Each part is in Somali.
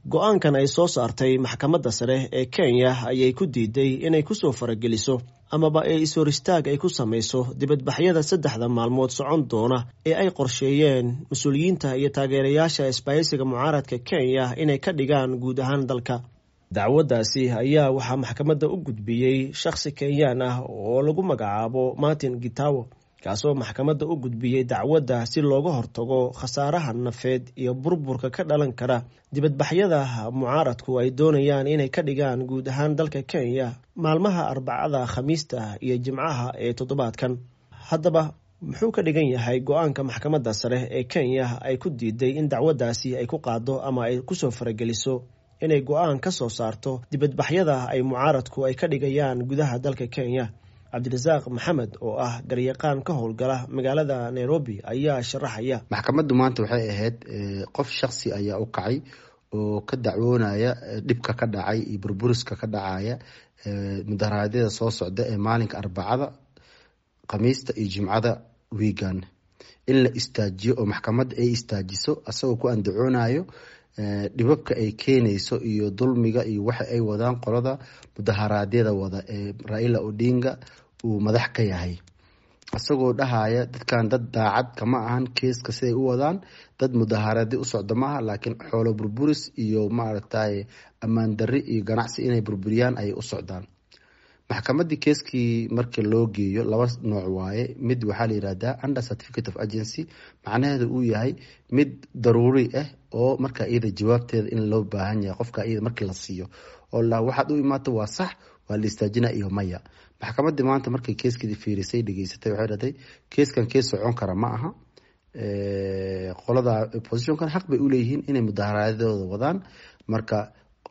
Go-aankan ay soo saartay maxkamadda sare ee Kenya ayay ku diiday inay kusoo farageliso amaba ee is-hor istaag ay ku samayso dibadbaxyada 3da maalmood socon doona ee ay qorsheeyeen mas-uuliyiinta iyo taageerayaasha isbahaysiga mucaaradka Kenya inay ka dhigaan guud ahaan dalka. Dacwaddaasi ayaa waxaa maxkamadda u gudbiyey shakhsi Kenyaan ah oo lagu magacaabo Martin Gitawo, kaasoo maxkamadda u gudbiyey dacwadda si looga hortago khasaaraha nafeed iyo burburka ka dhalan kara dibadbaxyada mucaaradku ay doonayaan inay ka dhigaan guud ahaan dalka Kenya maalmaha Arbacada, Khamiista iyo Jimcaha ee toddobaadkan. Haddaba, muxuu ka dhigan yahay go-aanka maxkamadda sare ee Kenya ay ku diiday in dacwaddaasi ay ku qaado ama ay kusoo farageliso inay go-aan ka soo saarto dibadbaxyada ay mucaaradku ay ka dhigayaan gudaha dalka Kenya? Cabdirasaaq Maxamed oo ah garyaqaan ka howlgala magaalada Nairobi ayaa sharaxaya. Maxkamaddu maanta waxay ahayd qof shaksi ayaa u kacay oo ka dacwoonaya dhibka ka dhacay iyo burburiska ka dhacaya mudaharaadyada soo socda ee maalinka Arbacada, Khamiista iyo Jimcada wiigan, in la istaajiyo oo maxkamadda ay istaajiso, asagoo ku andacoonayo dhibabka ay keenayso iyo dulmiga iyo waxa ay wadaan qolada mudaharaadyada wada ee Raila Odinga uu madax ka yahay, isagoo dhahaya dadkan dad daacad kama ahan keeska siday u wadaan, dad mudaharaadyo u socda maaha, laakiin xoolo burburis iyo maaragtay ammaan darri iyo ganacsi inay burburiyaan ayay u socdaan. Maxkamaddii keeskii marka loo geeyo laba nooc waaye. Mid waxaa la yihahdaa under certificate of agency, macnaheedu uu yahay mid daruuri ah oo marka iyada jawaabteeda in loo baahan yahay qofka iyada markii la siiyo oo la waxaad u imaato waa sax, waa la istaajina iyo maya. Maxkamaddii maanta markay keeskeedii fiirisay, dhegeysatay, waxay dhahday keeskan kees socon kara ma aha. Qolada oppositionkan xaq bay uleeyihiin inay mudaharaadyadooda wadaan. Marka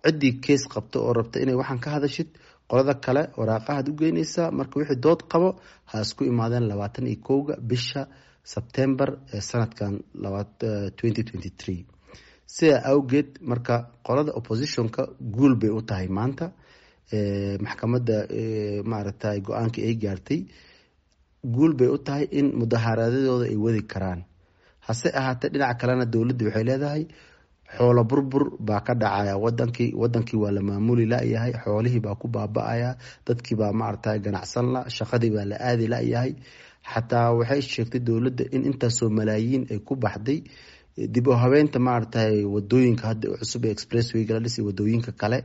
ciddii kees qabto oo rabta inay waxaan ka hadashid, qolada kale waraaqahaad u geynaysaa. Marka wixii dood qabo ha isku imaadeen 21-ga bisha Sebtembar ee sanadkan 2023. Sidaa awgeed marka qolada oppositionka guul bay u tahay maanta maxkamadda maaragtay go-aankii ay gaartay. Guul bay u tahay in mudaharaadyadooda ay wadi karaan. Hase ahaatee, dhinaca kalena dowladda waxay leedahay xoolo burbur baa ka dhacaya wadankii, wadankii waa la maamuli layahay, xoolihii baa ku baaba-aya, dadkii baa maaragtay ganacsan la, shaqadii baa la aadi layahay. Xataa waxay sheegtay dowladda in intaasoo malaayiin ay ku baxday dib u habeynta maaragtay wadooyinka hadda cusub ee expresswayga la dhisay, wadooyinka kale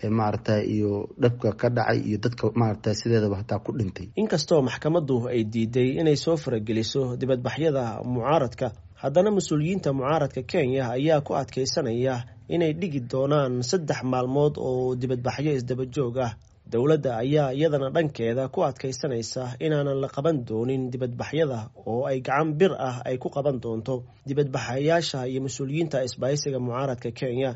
ee maaragtay iyo dhabka ka dhacay iyo dadka maaragtay sideedaba hataa ku dhintay. Inkastoo maxkamaddu ay diiday inay soo farageliso dibadbaxyada mucaaradka, haddana mas-uuliyiinta mucaaradka Kenya ayaa ku adkeysanaya inay dhigi doonaan 3 maalmood oo dibadbaxyo isdaba joog ah. Dowladda ayaa iyadana dhankeeda ku adkeysanaysa inaanan la qaban doonin dibadbaxyada oo ay gacan bir ah ay ku qaban doonto dibadbaxayaasha iyo mas-uuliyiinta isbahaysiga mucaaradka Kenya.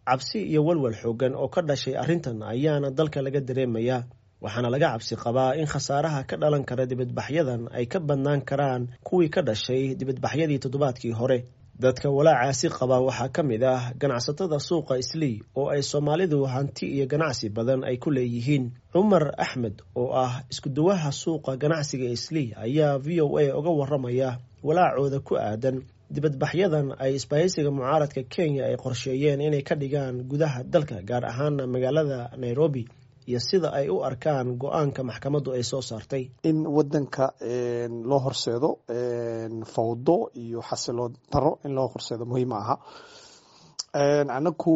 Cabsi iyo walwal xoogan oo ka dhashay arrintan ayaana dalka laga dareemayaa, waxaana laga cabsi qabaa in khasaaraha ka dhalan kara dibadbaxyadan ay ka badnaan karaan kuwii ka dhashay dibadbaxyadii toddobaadkii hore. Dadka walaacaasi qaba waxaa ka mid ah ganacsatada suuqa Islii oo ay Soomaalidu hanti iyo ganacsi badan ay ku leeyihiin. Cumar Axmed oo ah iskuduwaha suuqa ganacsiga Islii ayaa VOA uga waramaya walaacooda ku aadan dibadbaxyadan ay isbahaysiga mucaaradka Kenya ay qorsheeyeen inay ka dhigaan gudaha dalka, gaar ahaana magaalada Nairobi, iyo sida ay u arkaan go-aanka maxkamaddu ay soo saartay. In wadanka loo horseedo fawdo iyo xasiloon daro in loo horseedo muhiim aha. Anaku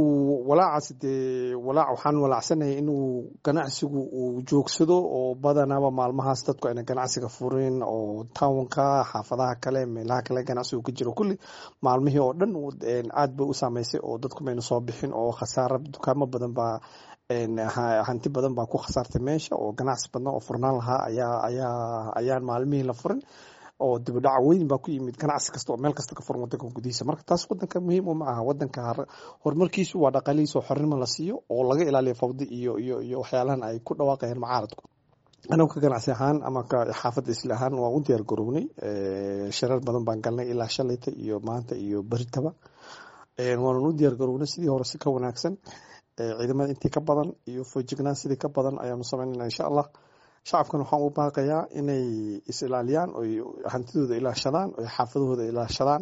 walaacaas dee walaac waxaan walaacsanahay inuu ganacsigu uu joogsado, oo badanaba maalmahaas dadku ayna ganacsiga furin, oo townka, xaafadaha kale, meelaha kale ganacsigu ka jiro kulli maalmihii oo dhan aad bay u saameysay, oo dadku mayna soo bixin, oo khasaara dukaamo badan baa, hanti badan baa ku khasaartay meesha, oo ganacsi badan oo furnaan lahaa ayaa ayaan maalmihii la furin, oo dibudhac weyn baa ku yimid ganacsi kasta oo meel kasta ka furan wadanka gudihiisa. Marka taas wadanka muhiim uma aha. Wadanka horumarkiisu waa dhaqaalihiisa oo xornimo la siiyo oo laga ilaaliyo fawdi iyo waxyaalahan ay ku dhawaaqayaan mucaaradku. Anagu ka ganacsi ahaan ama ka xaafadda Isla ahaan waan u diyaar garownay. Shirar badan baan galnay ilaa shalayta iyo maanta iyo beritaba. Waanan u diyaar garownay sidii hore si ka wanaagsan, ciidamada intii ka badan iyo feejignaan sidii ka badan ayaanu samaynayna, insha Allah. Shacabkan waxaan u baaqayaa inay is ilaaliyaan, oy hantidooda ilaashadaan, oy xaafadahooda ilaashadaan.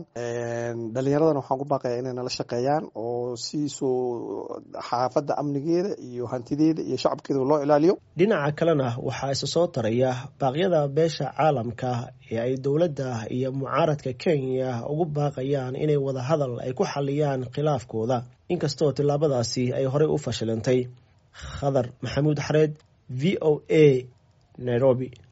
Dhalinyaradana waxaan ku baaqayaa inay nala shaqeeyaan oo si soo xaafadda amnigeeda iyo hantideeda iyo shacabkeeda loo ilaaliyo. Dhinaca kalena waxaa isa soo taraya baaqyada beesha caalamka ee ay dowladda iyo mucaaradka Kenya ugu baaqayaan inay wadahadal ay ku xaliyaan khilaafkooda, inkastoo tillaabadaasi ay horey u fashilantay. Khadar Maxamuud Xareed, VOA, Nairobi.